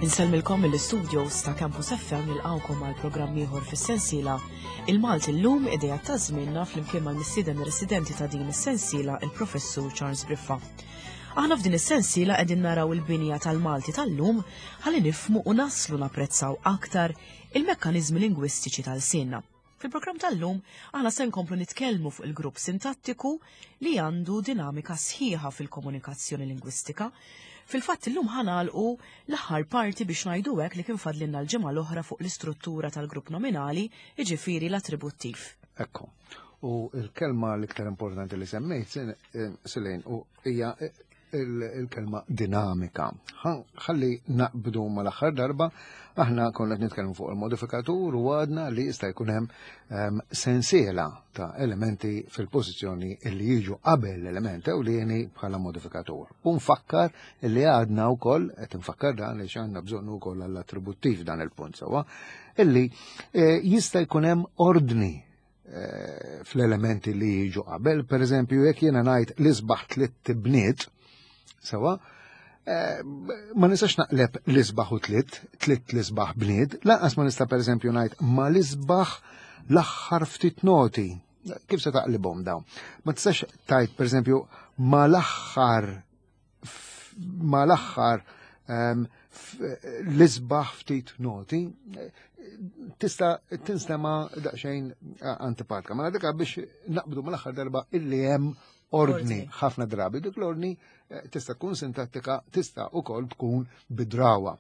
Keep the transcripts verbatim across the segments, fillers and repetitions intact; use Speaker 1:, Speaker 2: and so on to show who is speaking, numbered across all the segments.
Speaker 1: Insellmilkom mill-studios ta' Campus F M, nilqgħukom għal programm ieħor fis-sensiela Il-Malti llum, idea ta' żmienna, flimkien mal-mistieden residenti ta' din is-sensiela, il-Professur Charles Briffa. Aħna f'din is-sensiela qegħdin naraw il-binja tal-Malti tal-lum ħalli nifhmu u naslu napprezzaw aktar il-mekkaniżmi lingwistiċi tal-lsienna. Fil-programm tal-lum aħna se nkomplu nitkellmu fuq il-grupp sintattiku li għandu dinamika sħiħa fil-komunikazzjoni lingwistika. Fil-fatt, illum ħa nagħlqu l-aħħar parti, biex ngħidu hekk, li kien fadlinna l-ġimgħa l-oħra fuq l-istruttura tal-grupp nominali, jiġifieri l-attributtiv.
Speaker 2: Ekku. U il-kelma l-iktar importanti li semmejt, Silejn, u hija il-kelma dinamika. Ħalli naqbdu mal-aħħar darba, aħna konna qed nitkellmu fuq il-modifikatur u għadna li jista' jkun hemm sensiela ta' elementi fil-pożizzjoni li jiġu qabel l-element ewlieni bħala modifikatur. U nfakkar li għadna wkoll, qed nfakkar dan li għandna bżonn ukoll għall-attributtiv dan il-punt sewwa, illi eh, jista' jkun hemm ordni eh, fl-elementi li jiġu qabel. Per eżempju, jekk jiena ngħid "l-isbaħ tlitt ibniet", sewwa, eh, ma nistax naqleb l-isbaħ u tlitt, tlitt l-isbaħ bniet, lanqas ma nista', per eżempju, ngħid "ma l-isbaħ l-aħħar ftit noti". Kif se taqlibhom dawn? Ma tistax tgħid, per eżempju, ma l-aħħar ma l-aħħar ehm, l-isbaħ ftit noti, tista' tinstema daqsxejn antipatika. Ma dik biex naqbdu mal-aħħar darba illi hemm ordni ħafna drabi. Dik l-ordni eh, tista' tkun sintattika, tista' ukoll tkun bidrawa.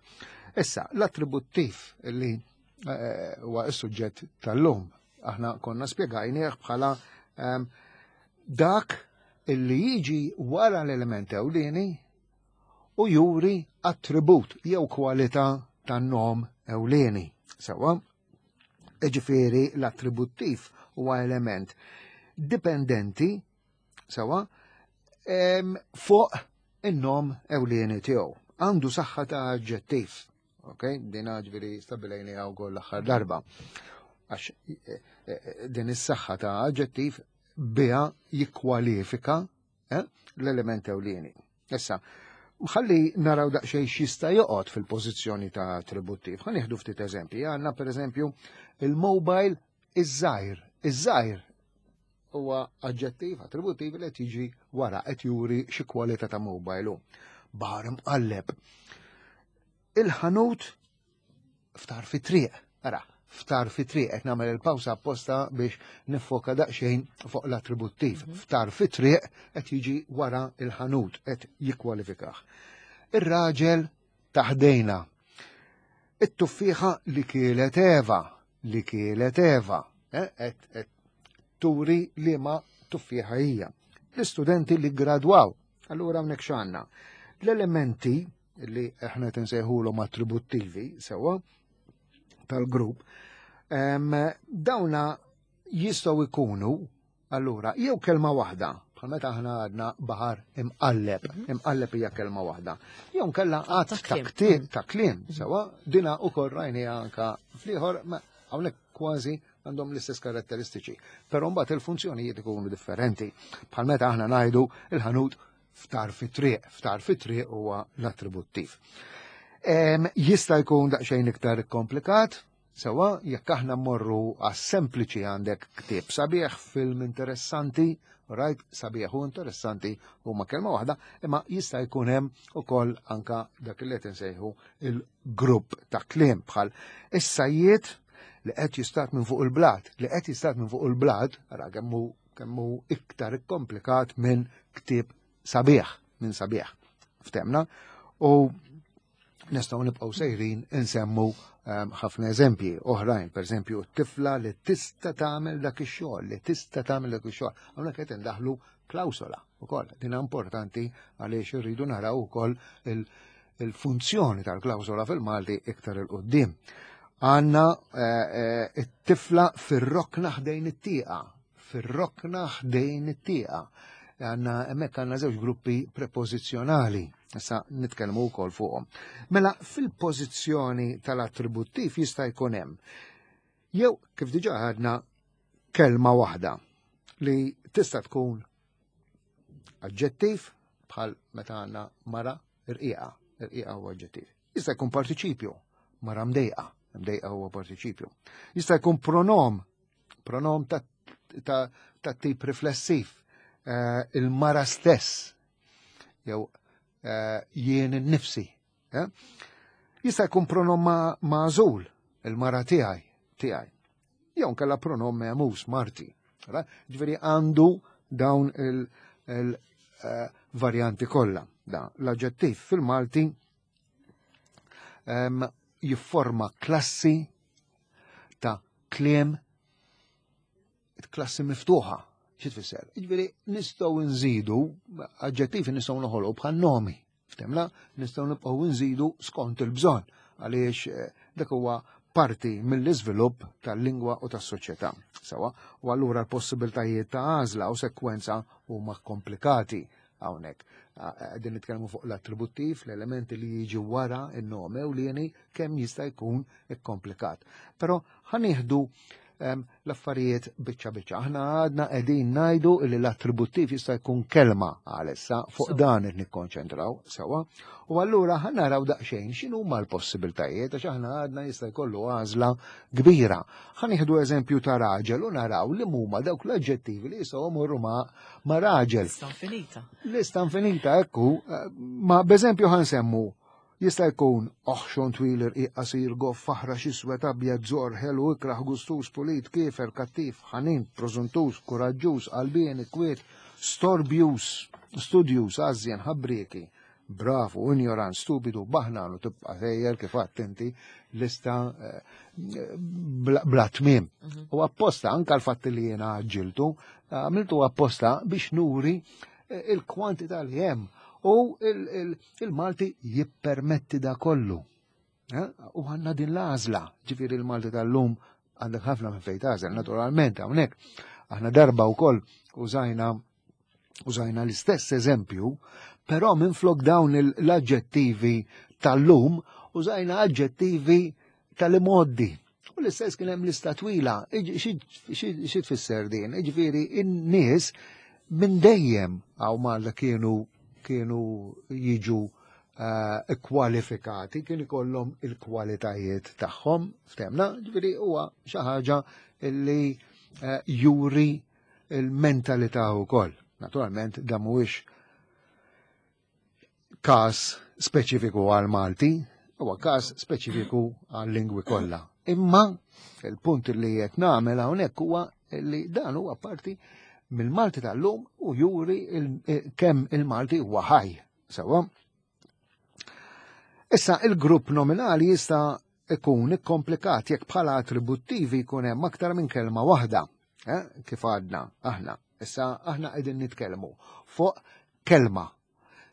Speaker 2: Issa, l-attributtiv li eh, huwa s-suġġett tal-lum, aħna konna spjegajnieh bħala ehm, dak illi jiġi wara l-element ewlieni u juri attribut jew kwalità tan-nom ewlieni. Sewwa, ġifieri l-attributtiv huwa element dipendenti, sewwa, fuq in-nom ewlieni tiegħu. Għandu saħħa ta' aġġettiv. Ok, din ġifieri stabbilejnieha wkoll l-aħħar darba. Għax eh, eh, din is-saħħa ta' aġġettiv biha jikkwalifika eh, l-element ewlieni. Issa, ħalli naraw daqsxejn x'jista' joqgħod fil-pożizzjoni ta' attributtiv. Ħa nieħdu ftit eżempji. Għandna, pereżempju, il-mobile iż-żgħir. Iż-żgħir huwa aġġettiv attributtiv li qed jiġi wara, qed juri xi kwalità ta' mobile hu. Baħar imqalleb. Il-ħanut f'tarf it-triq. Ara, f'tarf it-triq, qed nagħmel il-pawsa apposta biex niffoka daqsxejn fuq l-attributtiv. Mhm. F'tarf it-triq qed jiġi wara il-ħanut, qed jikkwalifikah. Ir-raġel ta' ħdejna. It-tuffieħa li kielet Eva, li kielet Eva, eh, qed turi li ma tuffieħa hija. L-istudenti li gradwaw, allura hawnhekk x'għandna? L-elementi li aħna nsejħulhom attributtivi, sewwa, tal-grupp, dawna jistgħu jkunu allura jew kelma waħda, bħal meta aħna għadna "baħar imqalleb", mhm. "Imqalleb" hija kelma waħda. Jew kella għadd ta' ta' kliem, sewwa, dina ukoll rajni anka fl-ieħor, hawnhekk kważi għandhom l-istess karatteristiċi. Però mbagħad il-funzjonijiet ikunu differenti. Bħal meta aħna ngħidu "il-ħanut f'tarf it-triq", "f'tarf it-triq" huwa l-attributtiv. Jista' jkun daqsxejn iktar komplikat, sewwa, jekk aħna mmorru għas-sempliċi, għandek ktieb sabiħ, film interessanti, right, sabiħ u interessanti huma kelma waħda, imma jista' jkun hemm ukoll anka dak li qed insejħu il-grupp ta' kliem, bħal is-sajjied li qed jistad minn fuq il-blat, li qed jistad minn fuq il-blat, ara kemm hu kemm hu iktar komplikat minn ktieb sabiħ, minn sabiħ. Ftemna? U nistgħu nibqgħu sejrin insemmu ehm, ħafna eżempji oħrajn, per eżempju, tifla li tista' tagħmel dak ix-xogħol, li tista' tagħmel dak ix-xogħol. Hawnhekk qed indaħlu klawsola ukoll. Din importanti għaliex irridu naraw ukoll il-funzjoni tal-klawsola fil-Malti iktar 'il quddiem. Għandna eh, eh, it-tifla fir-rokna ħdejn it-tieqa, fir-rokna ħdejn it-tieqa. Għandna hemmhekk għandna żewġ gruppi prepożizzjonali. Issa nitkellmu wkoll fuqhom. Mela, fil-pożizzjoni tal-attributtiv jista' jkun hemm jew, kif diġà għadna, kelma waħda li tista' tkun aġġettiv, bħal meta għandna mara irqiqa, irqiqa huwa aġġettiv. Jista' jkun partiċipju, mara mdejqa, mdejqa huwa partiċipju. Jista' jkun pronom, pronom ta', ta, ta tip riflessiv, eh, il-mara stess, jew eh, jien innifsi. Eh? Jista' jkun pronom ma- magħżul, il-mara tiegħi, tiegħi. Jew nkella pronom mehmuż, marti. Ġifieri għandu dawn il-varjanti kollha. Da, l-aġġettiv fil-Malti em, jifforma klassi ta' kliem, klassi miftuħa. Xi tfisser? Ġifieri nistgħu nżidu aġġettivi, nistgħu noħolqu bħal nomi. Ftemna, nistgħu nibqgħu nżidu skont il-bżonn, għaliex eh, dak huwa parti mill-iżvilupp tal-lingwa u tas-soċjetà. Sawa, u allura l-possibiltajiet ta' għażla u sekwenza huma komplikati hawnhekk. Qegħdin nitkellmu fuq l-attributtiv, l-elementi li jiġi wara in-nome u li kemm jista' jkun ikkomplikat. Però ħa nieħdu l-affarijiet biċċa biċċa. Aħna għadna qegħdin ngħidu li l-attributtiv jista' jkun kelma għalissa, fuq dan qed nikkonċentraw sewwa. U allura ħa naraw daqsxejn x'inhu huma l-possibiltajiet, għax aħna għadna jista' jkollu għażla kbira. Ħa nieħdu eżempju ta' raġel u naraw li huma dawk l-aġġettivi li jistgħu jmorru ma' ma' raġel.
Speaker 1: Lista infinita.
Speaker 2: Lista infinita, ekku, ma b'eżempju ħa nsemmu jista' jkun oħxon, twil, irqiq, qasir, goff, aħrax, iswed, abjad, żorr, ħelu, ikraħ, gustus, pulit, kiefer, kattiv, ħanin, prożuntus, kuraġġuż, qalbien, kwiet, storbjus, studjus, għażjen, ħabrieki, bravu, ignorant, stupidu, baħnan, u tibqa' sejjer kif għedt inti lista eh, bla tmiem. Mhm. U apposta anka l-fatt li jiena għaġġiltu, għamiltu apposta biex nuri eh, il-kwantità li hemm u il-Malti jippermetti da kollu. Eh? U għandna din l-għażla, ġifieri il-Malti tal-lum għandek ħafna minn fejn tagħżel, naturalment hawnhekk. Aħna darba wkoll użajna użajna l-istess eżempju, però minn flok dawn l-aġġettivi tal-lum użajna aġġettivi tal-imgħoddi. U l-istess kien hemm lista twila. Xi tfisser din? Ġifieri in-nies minn dejjem hawn Malta kienu kienu jiġu uh, kwalifikati, kien ikollhom il-kwalitajiet tagħhom, ftemna, ġifieri huwa xi ħaġa li uh, juri il-mentalità wkoll. Naturalment dan mhuwiex każ speċifiku għal Malti, huwa każ speċifiku għal lingwi kollha. Imma il-punt li qed nagħmel hawnhekk huwa li dan huwa parti mill-Malti tal-lum u juri kemm il-Malti huwa ħaj. Sewwa. Issa il-grupp nominali jista' ikun ikkomplikat jekk bħala attributtivi jkun hemm aktar minn kelma waħda, eh? Kif għadna aħna. Issa aħna qegħdin nitkellmu fuq kelma.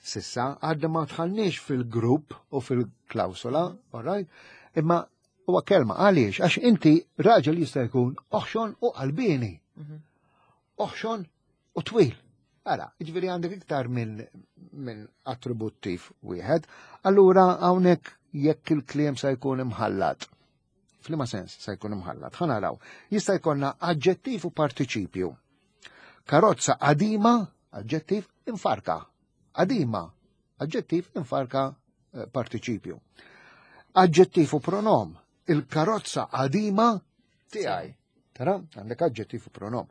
Speaker 2: S'issa għadna ma dħalniex fil-grupp u fil-klawsola, all right? Imma huwa kelma. Għaliex? Għax inti raġel jista' jkun oħxon u qalbini. Mhm. Oħxon u twil. Ara, ġifieri għandek iktar minn min attributtiv wieħed, allura hawnhekk jekk il-kliem sa jkun imħallat. F'liema sens sa jkun imħallat? Ħa naraw. Jista' jkollna aġġettiv u partiċipju. Karozza qadima, aġġettiv, infarka. Qadima, aġġettiv, infarka, eh, partiċipju. Aġġettiv u pronom. Il-karozza qadima tiegħi. Tara, għandek aġġettiv u pronom.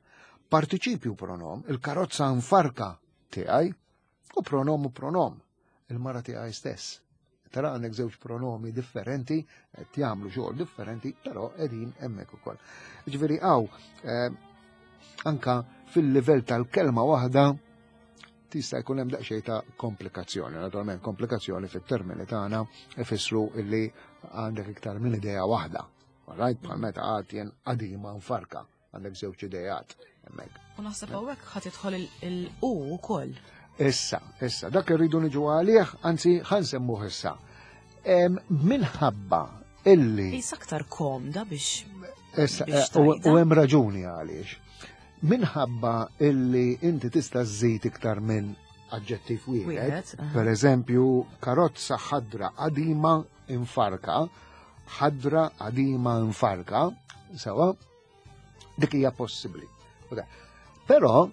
Speaker 2: Partiċipju pronom, il-karozza nfarka tiegħi, u pronom u pronom, il-mara tiegħi stess. Tara, għandek żewġ pronomi differenti, qed jagħmlu xogħol differenti, però qegħdin hemmhekk ukoll. Ġifieri hawn eh, anka fil-livell tal-kelma waħda tista' jkun hemm daqsxejn ta' komplikazzjoni. Naturalment komplikazzjoni fit-termini tagħna ifissru illi għandek iktar minn idea waħda. Right, bħal meta għad jien qadima nfarka, għandek żewġ idejat hemmhekk.
Speaker 1: U naħseb hawnhekk ħa tidħol il-u wkoll.
Speaker 2: Issa, issa, dak irridu niġu għalih, anzi ħa nsemmuh issa. Minħabba illi.
Speaker 1: Issa aktar komda biex.
Speaker 2: Issa, eh, u hemm raġuni għaliex. Minħabba illi inti tista' żżid iktar minn aġġettiv wieħed, per eżempju, karozza ħadra qadima infarka, ħadra qadima infarka, sewa, dik hija possibbli. Però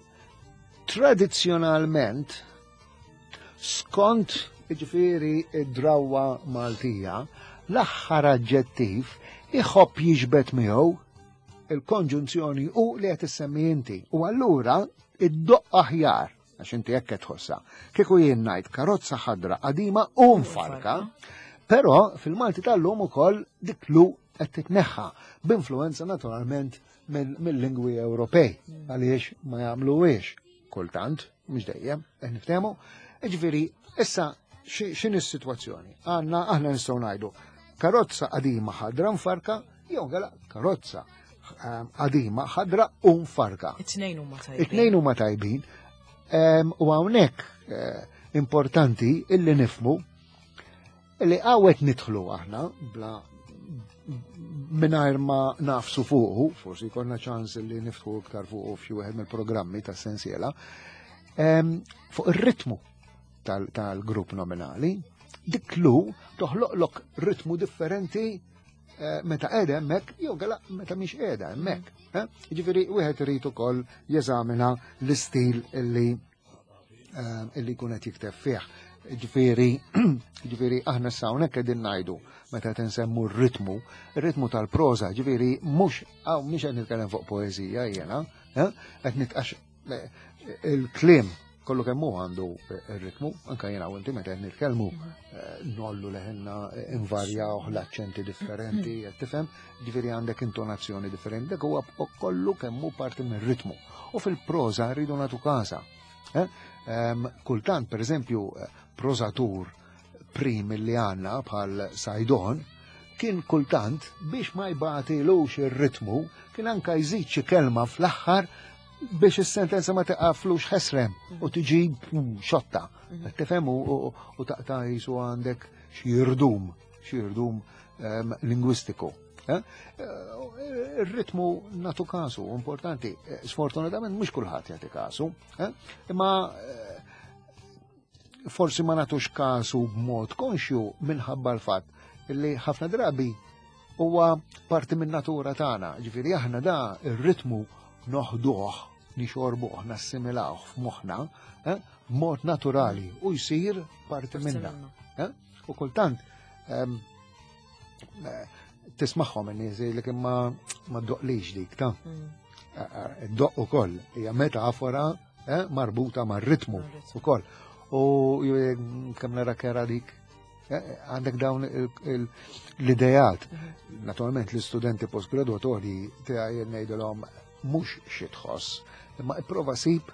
Speaker 2: tradizzjonalment skont Jiġifieri id-drawwa Maltija, l-aħħar aġġettiv iħobb jiġbed miegħu il-konġunzjoni u li qed issemmi inti. U allura iddoqq aħjar, għax inti hekk qed tħossha. Kieku jien ngħid karozza ħadra qadima u mfarka, però fil-Malti tal-lum ukoll dik lu qed titneħħa b'influenza naturalment mill-lingwi Ewropej, għaliex ma jagħmluhiex kultant, mhux dejjem, qed niftehmu. Jiġifieri, issa x'inhi s-sitwazzjoni? Għandna aħna nistgħu ngħidu karozza qadima ħadra mfarka jew għala karozza qadima ħadra u mfarka.
Speaker 1: It-tnejn huma tajbin.
Speaker 2: It-tnejn huma tajbin. U hawnhekk importanti illi nifmu illi għawet nidħlu aħna bla mingħajr ma nafsu fuqu, forsi jkollna ċans li niftħu iktar fuqu f'xi wieħed mill-programmi tas-sensiela, fuq ir-ritmu tal-grupp nominali, dik lu toħloqlok ritmu differenti meta qiegħda hemmhekk jew għala meta mhix qiegħda hemmhekk. Jiġifieri wieħed irid ukoll jeżamina l-istil illi illi jkun qed jikteb fih. Ġifieri, ġifieri aħna issa hawnhekk qegħdin ngħidu meta qed insemmu r-ritmu, ir-ritmu tal-proża, ġifieri mhux hawn mhux qed nitkellem fuq poeżija jiena, qed nitqax il-kliem kollu kemm hu għandu r-ritmu, anke jiena u inti meta qed nitkellmu nollu leħinna invarjaw l-aċċenti differenti, qed tifhem, ġifieri għandek intonazzjoni differenti, dak huwa kollu kemm hu parti mir-ritmu. U fil-proża rridu nagħtu każa. Kultant, per eżempju, prożatur prim li għandna bħal Saydon, kien kultant biex ma jbatilux ir-ritmu, kien anka jżid xi kelma fl-aħħar biex is-sentenza ma taqaflux ħesrem u tiġi xotta. Tifhem u taqta' jisu għandek xi irdum, xi irdum lingwistiku. Ir-ritmu natu kasu, importanti. Sfortunatament mhux kulħadd jagħti kasu, imma forsi ma natux kasu b'mod konxju minħabba l-fatt li ħafna drabi huwa parti minn natura tagħna. Ġifieri aħna da ir-ritmu noħduh, nixorbuh, nassimilawh f'moħħna b'mod naturali u jsir parti minna. U kultant tismagħhom in-nies li kien ma ma ddoqlix dik ta' ddoq ukoll hija metafora marbuta mar-ritmu ukoll. U kemm nara kera dik għandek dawn l-idejat. Naturalment l-istudenti postgraduatori tiegħi ngħidilhom mhux xi tħoss, imma ipprova sib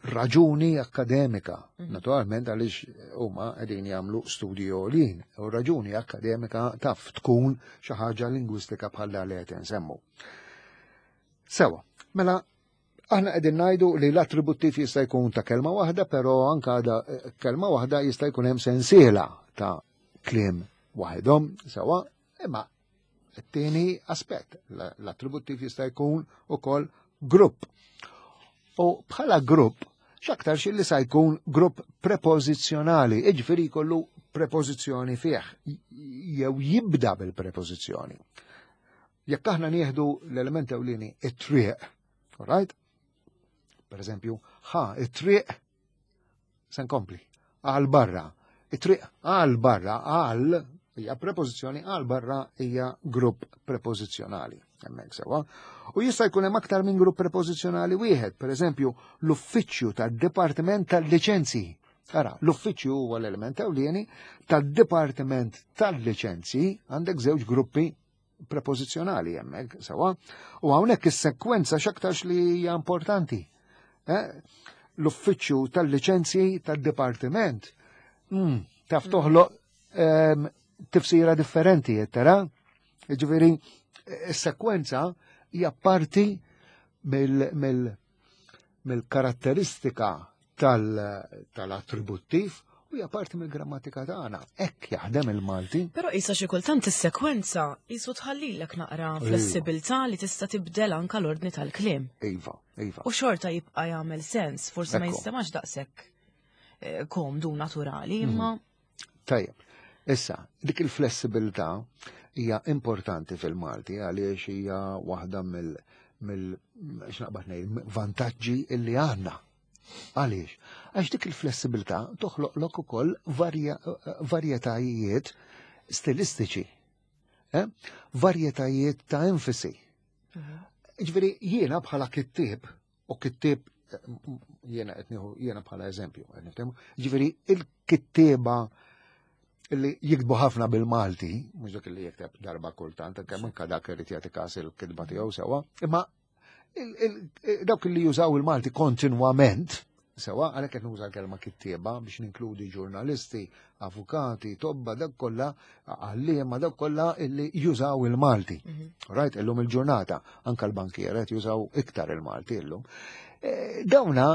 Speaker 2: raġuni akkademika. Naturalment għaliex huma qegħdin jagħmlu studji għolin, u raġuni akkademika taf tkun xi ħaġa lingwistika bħal li qed insemmu. Sewa, mela aħna qegħdin ngħidu li l-attributtiv jista' jkun ta' kelma waħda, però anke da kelma waħda jista' jkun hemm sensiela ta' kliem waħedhom, sewa, imma t-tieni aspett, l-attributtiv jista' jkun ukoll grupp. U bħala grupp, x'aktar xi li sa jkun grupp prepożizzjonali, jiġifieri jkollu prepożizzjoni fih, jew jibda bil-prepożizzjoni. Jekk aħna nieħdu l-element ewlieni it-triq, all right? Per eżempju, ħa it-triq se nkompli, għal barra. It-triq għal barra, għal hija prepożizzjoni, għal barra hija grupp prepożizzjonali. Hemmhekk sewa. U jista' jkun hemm aktar minn grupp prepożizzjonali wieħed, per eżempju, l-uffiċċju tad-Dipartiment tal-Liċenzji. Ara, l-uffiċċju huwa l-element ewlieni tad-Dipartiment tal-Liċenzji, għandek żewġ gruppi prepożizzjonali hemmhekk sewa. U hawnhekk is-sekwenza x'aktarx li hija importanti. L-uffiċċju tal-liċenzji tad-dipartiment taf toħloq tifsira differenti, tara? Jiġifieri is-sekwenza hija parti mill-karatteristika tal-attributtiv u hija parti mill-grammatika tagħna. Hekk jaħdem il-Malti.
Speaker 1: Però isa xi kultant is-sekwenza qisu tħallilek naqra flessibilità li tista' tibdel anke l-ordni tal-kliem.
Speaker 2: Iva, iva.
Speaker 1: U xorta jibqa' jagħmel sens, forsi ma jistemax daqshekk komdu naturali, imma
Speaker 2: Tajjeb. Issa, dik il-flessibilità hija importanti fil-Malti għaliex hija waħda mill mill x'naqbad ngħid vantaġġi illi għandna. Għaliex? Għax dik il-flessibilità toħloqlok ukoll varjetajiet stilistiċi, eh? Varjetajiet ta' enfasi. Mhm. Ġifieri jiena bħala kittieb, u kittieb jiena qed nieħu jiena bħala eżempju, ġifieri il-kittieba li jiktbu ħafna bil-Malti, mhux dak li jikteb darba kultant, kemm anke dak irid jagħti każ il-kitba tiegħu sewwa, imma dawk li jużaw il-Malti kontinwament, sewwa, għalhekk qed nuża l-kelma kittieba biex ninkludi ġurnalisti, avukati, tobba, dak kollha, għalliema, dak kollha illi jużaw il-Malti. Mhm. Right, illum il-ġurnata, anka l-bankier qed jużaw iktar il-Malti illum. E, dawna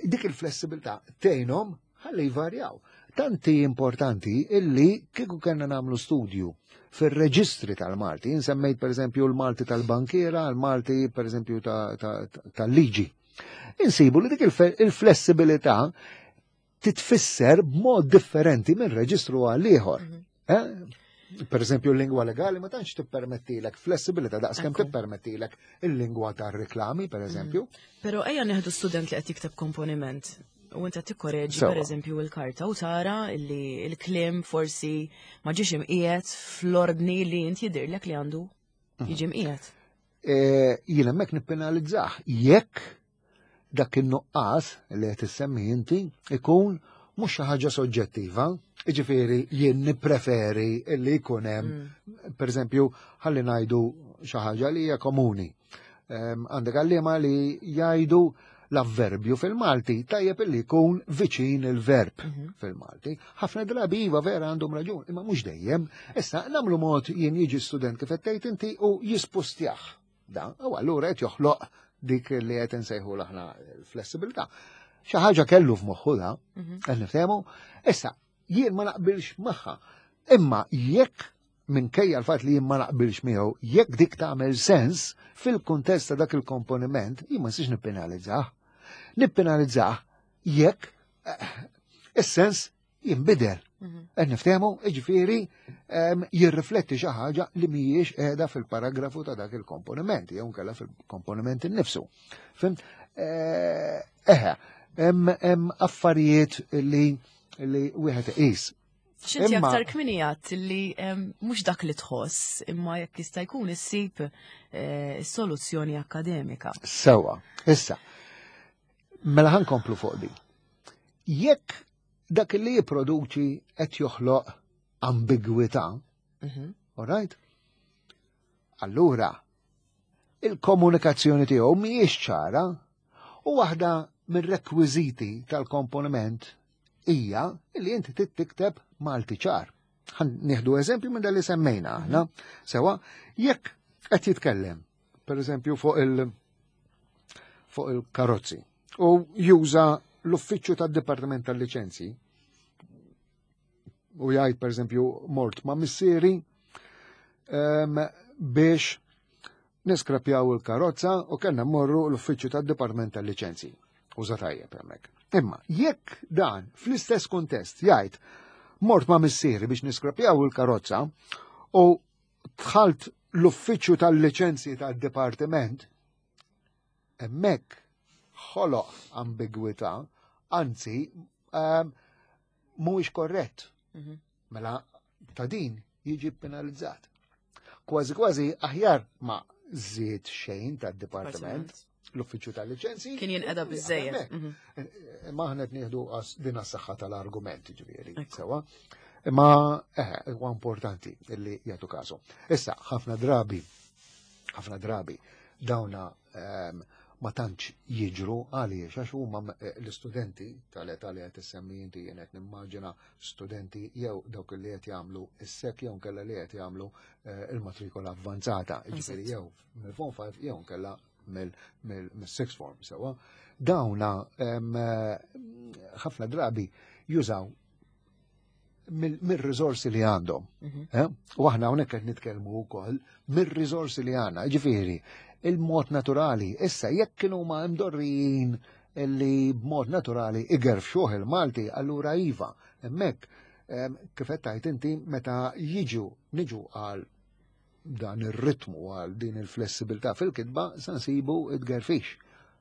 Speaker 2: dik il-flessibilità tgħinhom ħalli jvarjaw. Tanti importanti illi kieku kellna nagħmlu studju fir-reġistri tal-Malti, insemmejt per eżempju l-Malti tal-bankiera, l-Malti per eżempju tal-liġi. Insibu li dik il-flessibilità titfisser b'mod differenti minn reġistru għal ieħor. Mhm. Eh? Per eżempju, l-lingwa legali ma tantx tippermettilek flessibilità daqs kemm tippermettilek il-lingwa tar-reklami, per eżempju.
Speaker 1: Mhm. Però ejja neħdu student li qed jikteb komponiment u inta tikkoreġi per eżempju il-karta u tara li il-kliem forsi ma ġiex imqiegħed fl-ordni li int jidirlek li għandu mhm. jiġi mqiegħed.
Speaker 2: E, jien hemmhekk nippenalizzah jekk dak in-nuqqas li qed issemmi inti ikun mhux xi ħaġa soġġettiva, jiġifieri jien nippreferi li jkun hemm, mm. pereżempju, ħalli ngħidu xi ħaġa li hija komuni. Għandek għalliema li jgħidu l-avverbju fil-Malti tajjeb illi jkun viċin il-verb mhm. fil-Malti. Ħafna drabi iva vera għandhom raġun, imma mhux dejjem. Issa nagħmlu mod jien jiġi student kif qed tgħid inti u jispustjah. Da, u allura qed joħloq dik li qed insejħu aħna l-flessibilità. Xi ħaġa kellu f'moħħu da, mhm. qed niftehmu. Issa, jien ma naqbilx magħha. Imma jekk minkejja l-fatt li jien ma naqbilx miegħu, jekk dik tagħmel sens fil-kuntest ta' dak il-komponiment, jien ma nistax nippenalizzah. Nippenalizzah jekk eh, is-sens jinbidel. Mhm. Qed niftehmu, jiġifieri jirrifletti xi ħaġa li mhijiex qiegħda fil-paragrafu ta' dak il-komponiment, jew nkella fil-komponiment innifsu. Fhimt? Eh, eħe, hemm affarijiet li li wieħed iqis.
Speaker 1: Xinti aktar kmieni għedt li mhux dak li tħoss, imma jekk jista' jkun issib eh, soluzzjoni akademika.
Speaker 2: Sewwa, issa, mela ħa nkomplu fuq di. Jekk dak li jipproduċi qed joħloq ambigwità, mhm. all right? Allura, il-komunikazzjoni tiegħu mhijiex ċara u waħda mir-rekwiżiti tal-komponiment hija li inti tikteb Malti ċar. Nieħdu eżempju minn li semmejna aħna. Sewwa, jekk qed jitkellem, per eżempju, fuq il fuq il-karozzi u juża l-uffiċċju tad-Dipartiment tal-Liċenzji u jgħid per eżempju mort ma' missieri biex niskrapjaw il-karozza u kellna mmorru l-uffiċċju tad-Dipartiment tal-Liċenzji. Uża tajjeb hemmhekk. Imma jekk dan fl-istess kuntest jgħid mort ma' missieri biex niskrapjaw il-karozza u dħalt l-uffiċċju tal-liċenzji tad-dipartiment, hemmhekk ħoloq ambigwità, anzi ehm, mhuwiex korrett. Mhm. Mela ta' din jiġi penalizzat. Kważi kważi aħjar ma żied xejn tad-dipartiment, l-uffiċċju tal-liċenzji.
Speaker 1: Kien jinqeda biżejjed.
Speaker 2: Mhm. Imma aħna qed nieħdu din as-saħħa tal-argument ġifieri, sewwa. Imma eh, huwa importanti illi jagħtu kasu. Issa, ħafna drabi, ħafna drabi dawna ehm, ma tantx jiġru għaliex għax huma eh, l-istudenti tal-età li qed issemmi inti jien qed nimmaġina studenti jew dawk li qed jagħmlu is-sek jew nkella li qed jagħmlu eh, il-matrikola avvanzata, jiġifieri jew mill-form five jew nkella mill-sixth form sewwa. Dawna eh, ħafna drabi jużaw mill-riżorsi li għandhom. Mhm. Eh? U aħna hawnhekk qed nitkellmu wkoll mir-riżorsi li għandna. Ġifieri, il-mod naturali, issa jekk kienu ma mdorrijin li b'mod naturali igerfxuh il-Malti, allura iva, hemmhekk kif qed tgħid inti meta jiġu niġu għal dan ir-ritmu għal din il-flessibilità fil-kitba sa nsibu id-gerfix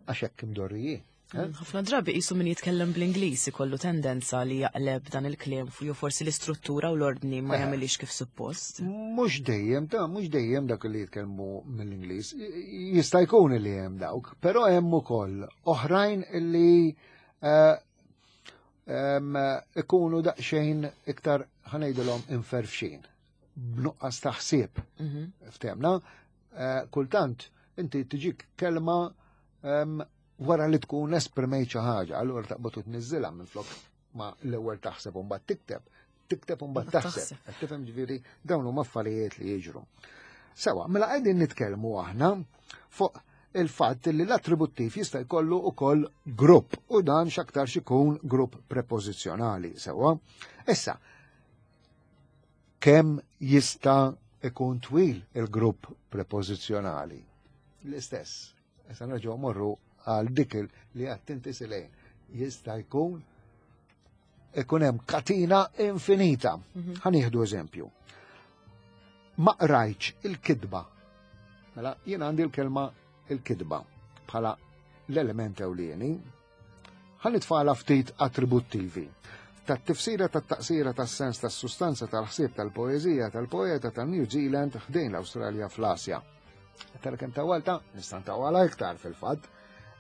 Speaker 2: għax hekk imdorrijin. Eh?
Speaker 1: Ħafna drabi qisu min jitkellem bl-Ingliż ikollu tendenza li jaqleb dan il-kliem jew forsi l-istruttura u l-ordni ma
Speaker 2: Eh.
Speaker 1: jagħmilix kif suppost.
Speaker 2: Mhux dejjem, ta' mhux dejjem dak li jitkellmu mill-Ingliż. Jista' jkun li hemm dawk, però hemm ukoll oħrajn li eh, em, ikunu daqsxejn iktar ħa ngħidilhom imferfxin, b'nuqqas ta' ħsieb.
Speaker 1: Mhm.
Speaker 2: Ftemna, eh, kultant inti tiġik kelma em, wara li tkun esprimejt xi ħaġa, allura taqbad u tniżżilha minflok ma l-ewwel taħseb u mbagħad tikteb, tikteb u mbagħad
Speaker 1: Mbagħad
Speaker 2: taħseb.
Speaker 1: taħseb.
Speaker 2: Qed tifhem ġifieri dawn huma affarijiet li jiġru. Sewa, mela qegħdin nitkellmu aħna fuq il-fatt li l-attributtiv jista' jkollu ukoll grupp u dan x'aktarx ikun grupp prepożizzjonali, sewa. Issa, kemm jista' ikun twil il-grupp prepożizzjonali? L-istess. Issa nerġgħu morru għal dik il- li għedt inti Silejn. Jista' jkun ikun hemm katina infinita. Ħa nieħdu eżempju. Ma qrajtx il-kitba. Mela, jien għandi l-kelma il-kitba bħala l-element ewlieni. Ħa nitfagħlha ftit attributtivi. Tat-tifsira tat-taqsira tas-sens tas-sustanza tal-ħsieb tal-poeżija tal-poeta ta' New Zealand ħdejn l-Awstralja fl-Asja. Tara kemm tawwaltha, nista' ntawwalha iktar fil-fatt.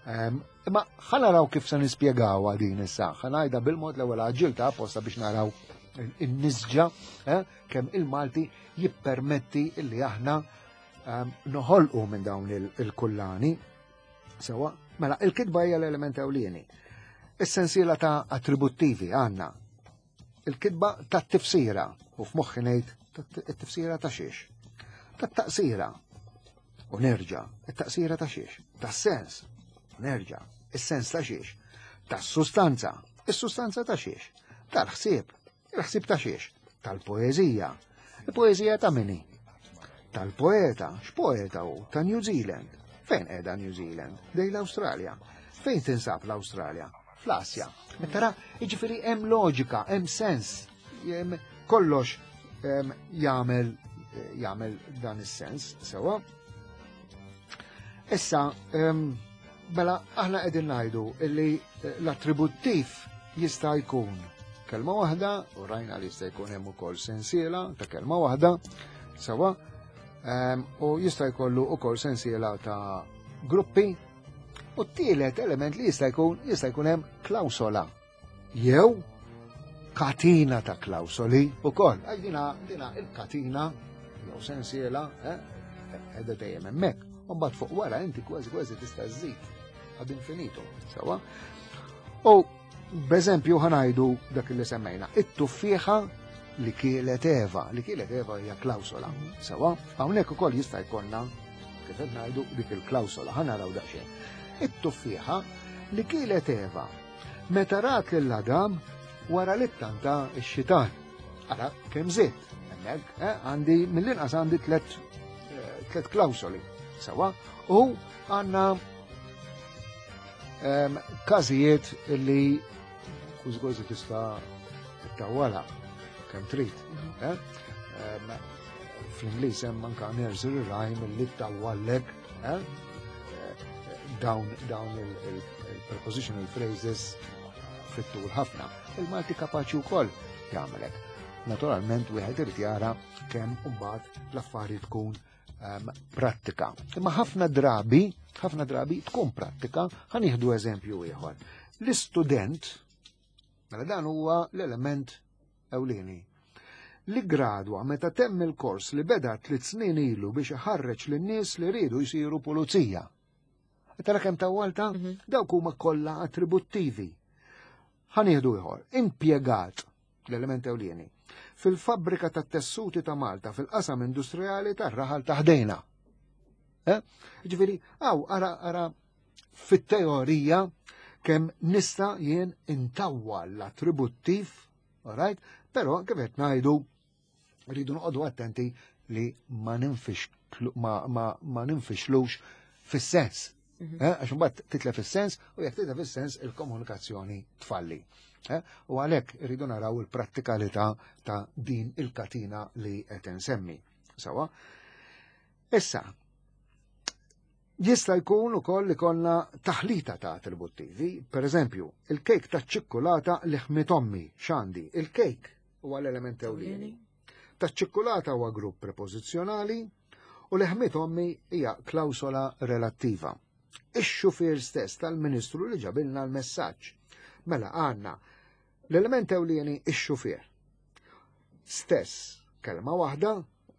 Speaker 2: Em, Imma ħa naraw kif se nispjegawha din issa. Ħa ngħidha bil-mod l-ewwel għaġġilta apposta biex naraw in-nisġa eh, kemm il-Malti jippermetti illi aħna em, noħolqu minn dawn il- il-kullani. Sewa, mela il-kitba hija l-element ewlieni. Is-sensiela ta' attributtivi għandna. Il-kitba ta' tifsira, u f'moħħi ngħid it-tifsira ta' xiex. Ta' taqsira. U nerġa', it-taqsira ta' xiex. Ta' sens. U nerġa', is-sens ta' xiex. Ta' sustanza. Is-sustanza ta' xiex. Tal-ħsieb. Il-ħsieb ta' xiex. Tal-poeżija. Il-poeżija ta' min hi? Tal-poeta. X'poeta hu? Ta' New Zealand. Fejn qiegħda New Zealand? Ħdejn l-Awstralja. Fejn tinsab l-Awstralja? Fl-Asja. Tara, jiġifieri hemm loġika, hemm sens. Hemm kollox em, jagħmel jagħmel dan is-sens, sewa. Issa, em, mela aħna qegħdin ngħidu illi eh, l-attributtiv jista' jkun kelma waħda, u rajna li jista' jkun hemm ukoll sensiela ta' kelma waħda, sewa, em, u jista' jkollu ukoll sensiela ta' gruppi, u t-tielet element li jista' jkun jista' jkun hemm klawsola jew katina ta' klawsoli ukoll. Għax dina dina il-katina jew sensiela, eh, qiegħda dejjem hemmhekk. U mbagħad fuq wara inti kważi kważi tista' żżid ad infinitum, sewa. U b'eżempju ħa ngħidu dak li semmejna, it-tuffieħa li kielet Eva, li kielet Eva hija klawsola, sewa. Hawnhekk ukoll jista' jkollna kif qed ngħidu dik il-klawsola, ħa naraw daqsxejn. It-tuffieħa li kielet Eva meta rat lil Adam wara li ttanta x-xitan. Ara kemm żidt, hemmhekk, eh, għandi mill-inqas għandi tlet eh, tlet klawsoli, sewa, u għandna em, każijiet li kważi tista' tawwalha kemm trid. eh? Em, Fl-Ingliż hemm anka nursery rhyme li tawwallek eh? Eh, dawn dawn il-prepositional phrases fit-tul ħafna. Il-Malti kapaċi wkoll jagħmelek. Naturalment wieħed irid jara kemm imbagħad l-affari tkun um, prattika. Imma ħafna drabi, ħafna drabi tkun prattika, ħa nieħdu eżempju ieħor. L-istudent, mela dan huwa l-element ewlieni. Li gradwa meta temm il-kors li beda tliet snin ilu biex iħarreġ lin-nies li rridu jsiru pulizija. Tara kemm tawwalta? Dawk huma kollha attributtivi. Ħa nieħdu ieħor, impjegat l-element ewlieni fil-fabbrika tat-tessuti ta' Malta fil-qasam industrijali tar-raħal ta' ħdejna. Eh? Ġifieri, għaw, ara, ara, fit-teorija kemm nista' jien intawwal l-attributtiv, alright? Però kif qed ngħidu rridu noqogħdu attenti li ma ninfixklu ma, ma, ma ninfixlux fis-sens. Eh, Għax imbagħad titlef fis-sens u jekk titlef fis-sens il-komunikazzjoni tfalli. Eh, U għalhekk irridu naraw il-prattikalità ta' din il-katina li qed insemmi. Sawa? Issa, Jista' jkun ukoll li konna taħlita ta' attributtivi, per eżempju, il-kejk ta' ċikkulata li ħmiet ommi, x'għandi, il-kejk huwa l-element ewlieni. Ta' ċikkulata huwa grupp prepożizzjonali u li ħmiet ommi hija klawsola relattiva. Ix-xufier stess tal-Ministru li ġabilna l-messaġġ. Mela għandna l-element ewlieni ix-xufier. Stess, kelma waħda,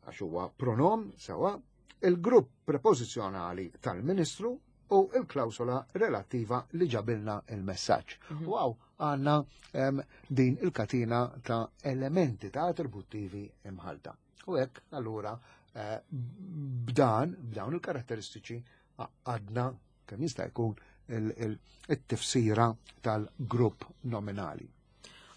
Speaker 2: għax huwa pronom sewa, il-grupp prepożizzjonali tal-Ministru u il-klawsola relattiva li ġabilna il-messaġġ. Mm -hmm. Għandna um, din il-katina ta' elementi ta' attributtivi imħalta. U hekk allura eh, b'dan, b'dawn il-karatteristiċi għadna kemm jista' jkun il-tifsira tal-grupp nominali.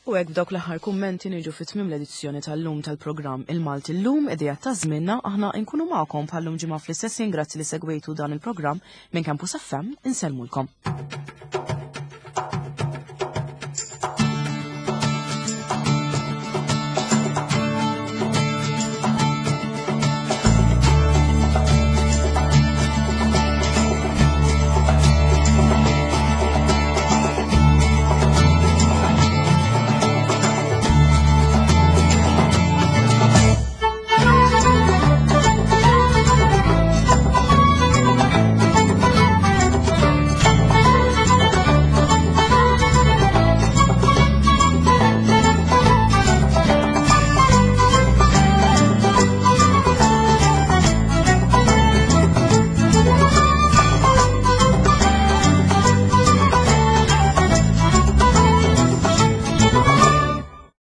Speaker 1: U hekk b'dawk l-aħħar kummenti niġu fi tmiem l-edizzjoni tal-lum tal-programm Il-Malti Llum, idea ta' żmienna. Aħna nkunu magħkom bħallum ġimgħa fl-istess. Grazzi li segwejtu dan il-programm minn Campus F M. Insellmulkom.